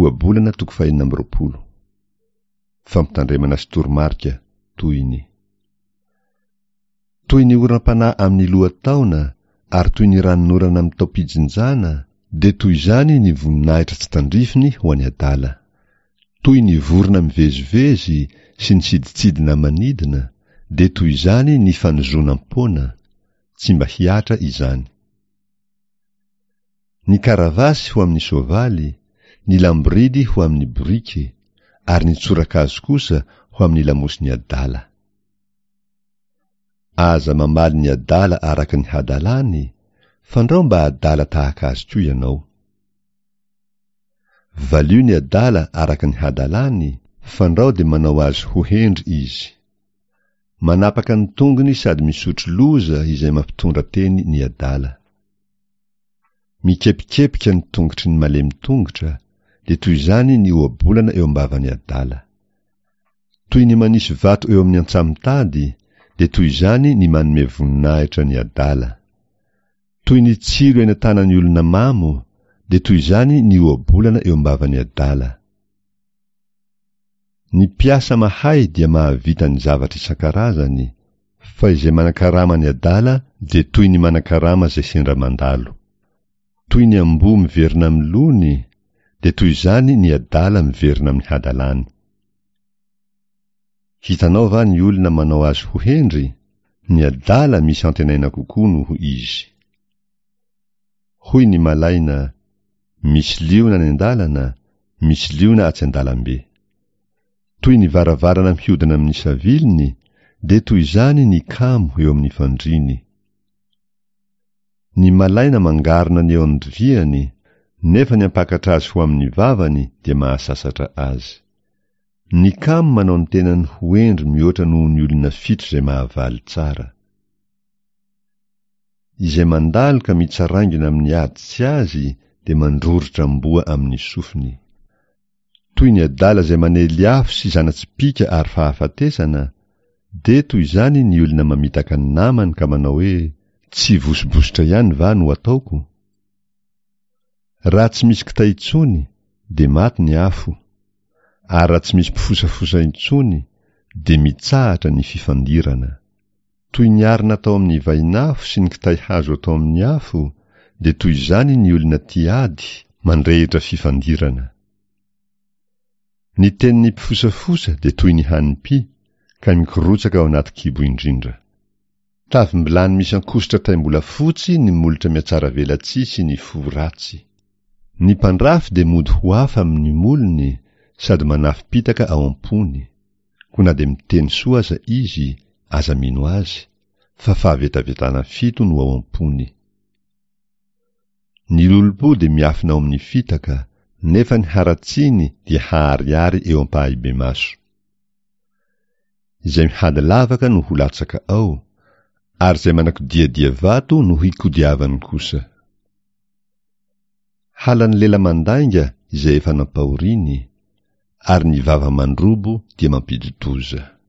Ohabolana toko fahenina amby 26. Fampitandremana sy toromarika, tohiny. Toy ny oram-panahy amin'ny lohataona ary toy ny ranonorana amin'ny taom-pijinjana, dia toy izany ny voninahitra tsy tandrifiny ho an'ny adala. Toy ny vorona mivezivezy sy ny sidintsidina manidina, dia toy izany ny fanozonam-poana, tsy mba hihatra izany. Ny karavasy ho amin'ny soavaly, ny lamboridy ho amin'ny boriky, ary ny tsorakazo kosa ho amin'ny lamosin'ny adala. Aza mamaly ny adala araka ny hadalany, fandrao mba adala tahaka azy koa ianao. Valio ny adala araka ny hadalany, fandrao dia manao azy ho hendry izy. Manapaka ny tongony sady misotro loza izay mampitondra teny ny adala. Mikepikepika ny tongotry ny malemy tongotra, dia toy izany ny ohabolana eo am-bavan'ny adala. Toy ny manisy vato eo amin'ny antsamitady, dia toy izany ny manome voninahitra ny adala. Toy ny tsilo eny an-tanan'ny olona mamo, dia toy izany ny ohabolana eo am-bavan'ny adala. Ny mpiasa mahay dia mahavita ny zavatra isan-karazany, fa izay manakarama ny adala dia toy ny manakarama izay sendra mandalo. Toy ny amboa miverina amin'ny lony, dia toy izany ny adala miverina amin'ny hadalany. Hitanao va ny olona manao azy ho hendry? Ny adala misy antenaina kokoa noho izy. Hoy ny malaina, Misy liona any an-dalana, misy liona atsy an-dalambe. Toy ny varavarana mihodina amin'ny saviliny, dia toy izany ny kamo eo amin'ny fandriany. Ny malaina mangarona ny eo an-doviany, nefa ny hampakatra azy ho amin'ny vavany dia mahasasatra azy. Ny kamo manao ny tenany ho hendry mihoatra noho ny olona fito izay mahavaly tsara. Izay mandalo ka mitsaraingina amin'ny ady tsy azy dia mandroritra amboa amin'ny sofiny. Toy ny adala izay manely afo sy zana-tsipìka ary fahafatesana, dia toy izany ny olona mamitaka ny namany ka manao hoe, Tsy vosibositra ihany va no ataoko? Raha tsy misy kitay intsony, dia maty ny afo, ary raha tsy misy mpifosafosa intsony, dia mitsahatra ny fifandirana. Toy ny arina atao amin'ny vainafo sy ny kitay hazo atao amin'ny afo, dia toy izany ny olona tia ady, mandrehitra fifandirana. Ny tenin'ny mpifosafosa dia toy ny hanim-py, ka mikorotsaka ao anaty kibo indrindra. Tavim-bilany misy ankosotra taim-bolafotsy ny molotra mihatsaravelatsihy sy ny fo ratsy. Ny mpandrafy dia mody ho hafa amin'ny molony sady manafim-pitaka ao am-pony. Koa na dia miteny soa aza izy, aza mino azy, fa fahavetavetana fito no ao am-pony. Ny lolompo dia miafina ao amin'ny fitaka, nefa ny haratsiany dia haharihary eo am-pahibemaso. Izay mihady lavaka no ho latsaka ao, ary izay manakodiadia vato no hikodiavany kosa. Halan'ny lela mandainga izay efa nampahoriany, ary ny vava mandrobo dia mampidi-doza.